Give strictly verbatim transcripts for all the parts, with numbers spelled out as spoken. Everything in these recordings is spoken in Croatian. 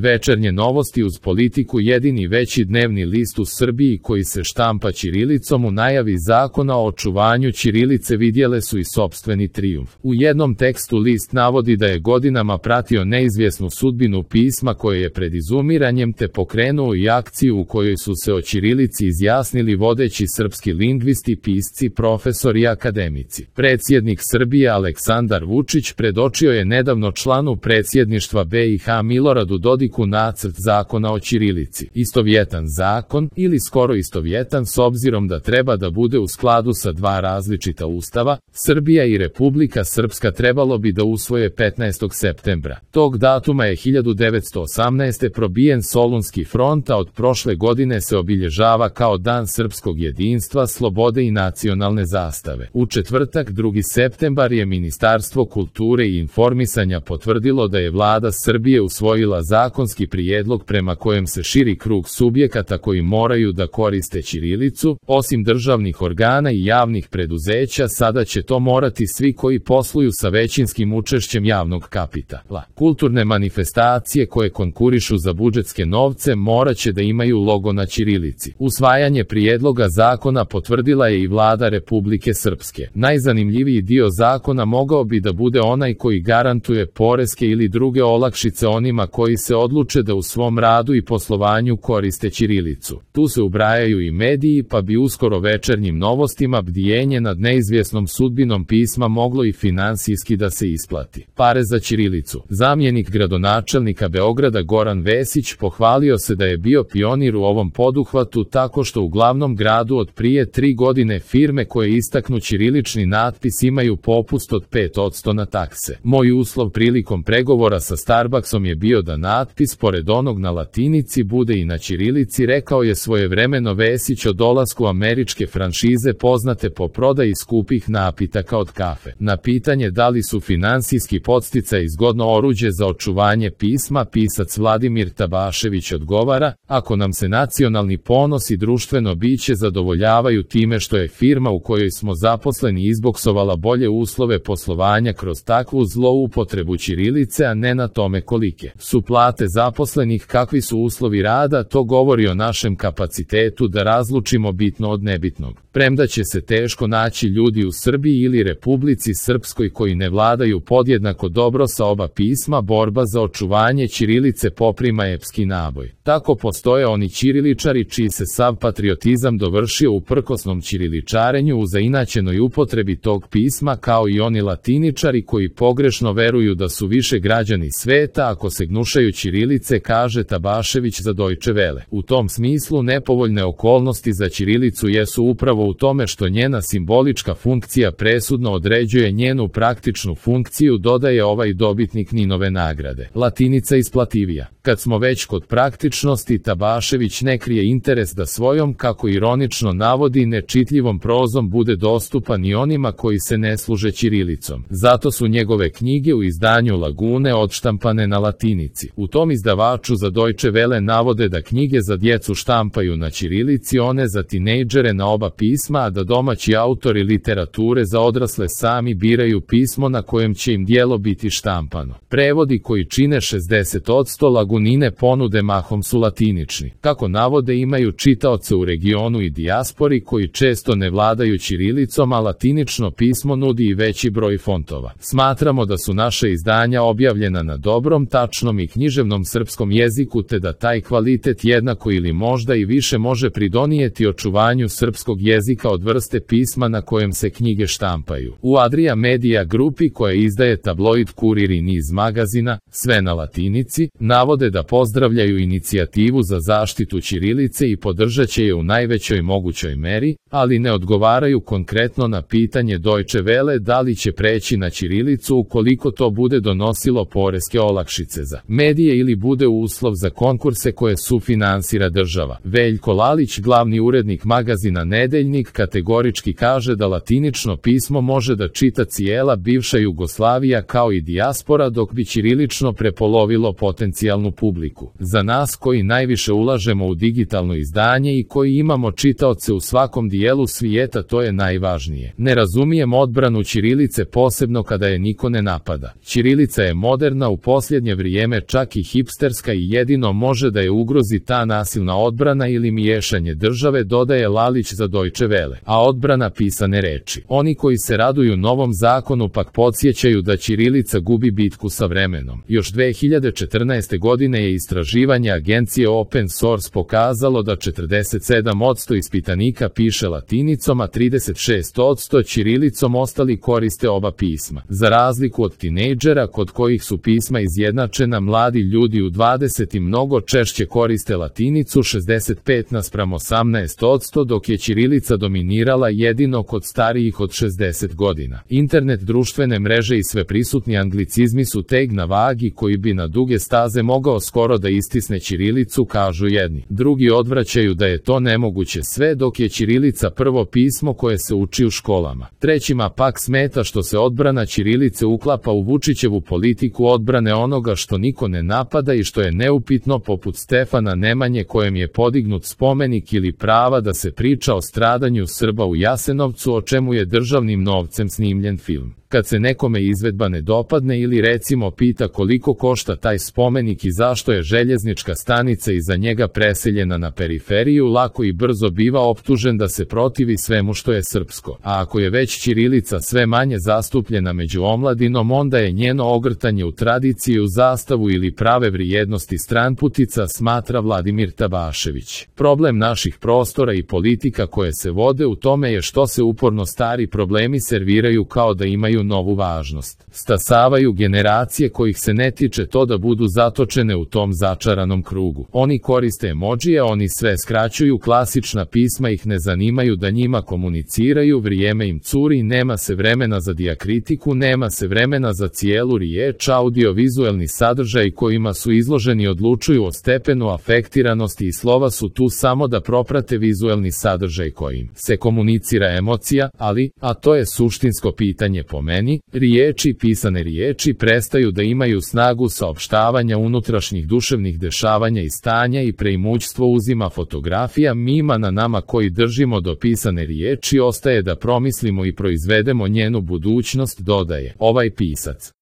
Večernje novosti uz Politiku, jedini veći dnevni list u Srbiji koji se štampa ćirilicom, u najavi zakona o očuvanju ćirilice vidjele su i sopstveni trijumf. U jednom tekstu list navodi da je godinama pratio neizvjesnu sudbinu pisma koje je pred izumiranjem, te pokrenuo i akciju u kojoj su se o ćirilici izjasnili vodeći srpski lingvisti, pisci, profesori i akademici. Predsjednik Srbije Aleksandar Vučić predočio je nedavno članu predsjedništva B i H Miloradu Dodiku nacrt zakona o ćirilici. Istovjetan zakon, ili skoro istovjetan s obzirom da treba da bude u skladu sa dva različita ustava, Srbija i Republika Srpska trebalo bi da usvoje petnaestog septembra. Tog datuma je hiljadu devetsto osamnaeste. probijen Solunski front, a od prošle godine se obilježava kao Dan srpskog jedinstva, slobode i nacionalne zastave. U četvrtak, drugi septembar, je Ministarstvo kulture i informisanja potvrdilo da je vlada Srbije usvojila zakonski prijedlog prema kojem se širi krug subjekata koji moraju da koriste ćirilicu. Osim državnih organa i javnih preduzeća, sada će to morati svi koji posluju sa većinskim učešćem javnog kapitala. Kulturne manifestacije koje konkurišu za budžetske novce morat će da imaju logo na ćirilici. Usvajanje prijedloga zakona potvrdila je i vlada Republike Srpske. Najzanimljiviji dio zakona mogao bi da bude onaj koji garantuje poreske ili druge olakšice onima koji se odluče da u svom radu i poslovanju koriste ćirilicu. Tu se ubrajaju i mediji, pa bi uskoro večernjim novostima bdijenje nad neizvjesnom sudbinom pisma moglo i finansijski da se isplati. Pare za ćirilicu. Zamjenik gradonačelnika Beograda Goran Vesić pohvalio se da je bio pionir u ovom poduhvatu tako što u glavnom gradu od prije tri godine firme koje istaknu ćirilični natpis imaju popust od pet posto na takse. Moj uslov prilikom pregovora sa Starbucksom je bio da natpis pored onog na latinici bude i na ćirilici, rekao je svojevremeno Vesić o dolasku američke franšize poznate po prodaji skupih napitaka od kafe. Na pitanje da li su finansijski podsticaj zgodno oruđe za očuvanje pisma, pisac Vladimir Tabašević odgovara: ako nam se nacionalni ponos i društveno biće zadovoljavaju time što je firma u kojoj smo zaposleni izboksovala bolje uslove poslovanja kroz takvu zloupotrebu ćirilice, a ne na tome kolike su plate zaposlenih, kakvi su uslovi rada, to govori o našem kapacitetu da razlučimo bitno od nebitnog. Premda će se teško naći ljudi u Srbiji ili Republici Srpskoj koji ne vladaju podjednako dobro sa oba pisma, borba za očuvanje ćirilice poprima epski naboj. Tako postoje oni ćiriličari čiji se sav patriotizam dovršio u prkosnom ćiriličarenju, u zainačenoj upotrebi tog pisma, kao i oni latiničari koji pogrešno veruju da su više građani sveta ako se gnušaju ćirilice, kaže Tabašević za Deutsche Welle. U tom smislu nepovoljne okolnosti za ćirilicu jesu upravo u tome što njena simbolička funkcija presudno određuje njenu praktičnu funkciju, dodaje ovaj dobitnik Ninove nagrade. Latinica isplativija. Kad smo već kod praktičnosti, Tabašević ne krije interes da svojom, kako ironično navodi, nečitljivom prozom bude dostupan i onima koji se ne služe ćirilicom. Zato su njegove knjige u izdanju Lagune odštampane na latinici. U tom izdavaču za Deutsche Welle navode da knjige za djecu štampaju na ćirilici, one za tinejdžere na oba pisma, a da domaći autori literature za odrasle sami biraju pismo na kojem će im djelo biti štampano. Prevodi koji čine šezdeset posto Lagunine ponude mahom su latinični. Kako navode, imaju čitaoce u regionu i dijaspori koji često ne vladaju ćirilicom, a latinično pismo nudi i veći broj fontova. Smatramo da su naša izdanja objavljena na dobrom, tačnom i književnom srpskom jeziku, te da taj kvalitet jednako ili možda i više može pridonijeti očuvanju srpskog jezika od vrste pisma na kojem se knjige štampaju. U Adria Media grupi, koja izdaje tabloid Kurir i niz magazina, sve na latinici, navode da pozdravljaju inicijativu za zaštitu ćirilice i podržat će je u najvećoj mogućoj meri, ali ne odgovaraju konkretno na pitanje Deutsche Welle da li će preći na ćirilicu ukoliko to bude donosilo poreske olakšice za medije ili bude uslov za konkurse koje sufinansira država. Veljko Lalić, glavni urednik magazina Nedeljnik, kategorički kaže da latinično pismo može da čita cijela bivša Jugoslavija kao i dijaspora, dok bi ćirilično prepolovilo potencijalnu publiku. Za nas koji najviše ulažemo u digitalno izdanje i koji imamo čitaoce u svakom dijelu svijeta, to je najvažnije. Ne razumijem odbranu ćirilice, posebno kada je niko ne napada. Ćirilica je moderna u posljednje vrijeme, čak i hipsterska, i jedino može da je ugrozi ta nasilna odbrana ili miješanje države, dodaje Lalić za Deutsche Welle. A odbrana pisane reči. Oni koji se raduju novom zakonu pak podsjećaju da ćirilica gubi bitku sa vremenom. Još dve hiljade četrnaeste. godine je istraživanje agencije Open Source pokazalo da četrdeset sedam posto ispitanika piše latinicom, a trideset šest posto ćirilicom, ostali koriste oba pisma. Za razliku od tinejdžera kod kojih su pisma izjednačena, mladi ljudi u dvadesetim mnogo češće koriste latinicu, šezdeset pet naspram osamnaest posto, dok je ćirilica dominirala jedino kod starijih od šezdeset godina. Internet, društvene mreže i sve prisutni anglicizmi su teg na vagi koji bi na duge staze mogao skoro da istisne ćirilicu, kažu jedni. Drugi odvraćaju da je to nemoguće sve dok je ćirilica prvo pismo koje se uči u školama. Trećima pak smeta što se odbrana ćirilice uklapa u Vučićevu politiku odbrane onoga što niko ne napada i što je neupitno, poput Stefana Nemanje kojem je podignut spomenik, ili prava da se priča o stradanju Srba u Jasenovcu, o čemu je državnim novcem snimljen film. Kad se nekome izvedba ne dopadne ili recimo pita koliko košta taj spomenik i zašto je željeznička stanica iza njega preseljena na periferiju, lako i brzo biva optužen da se protivi svemu što je srpsko. A ako je već ćirilica sve manje zastupljena među omladinom, onda je njeno ogrtanje u tradiciju, zastavu ili prave vrijednosti stranputica, smatra Vladimir Tabašević. Problem naših prostora i politika koje se vode u tome je što se uporno stari problemi serviraju kao da imaju novu važnost. Stasavaju generacije kojih se ne tiče to da budu zatočene u tom začaranom krugu. Oni koriste emodžije, oni sve skraćuju, klasična pisma ih ne zanimaju da njima komuniciraju, vrijeme im curi, nema se vremena za dijakritiku, nema se vremena za cijelu riječ, audio-vizuelni sadržaj kojima su izloženi odlučuju o stepenu afektiranosti i slova su tu samo da proprate vizuelni sadržaj kojim se komunicira emocija, ali, a to je suštinsko pitanje po meni, riječi, pisane riječi prestaju da imaju snagu saopštavanja unutrašnjih duševnih dešavanja i stanja i preimućstvo uzima fotografija, mima na nama koji držimo do pisane riječi ostaje da promislimo i proizvedemo njenu budućnost, dodaje ovaj pisac.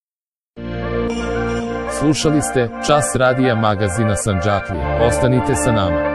Slušali ste Čas radija magazina Sandžaklija. Ostanite sa nama.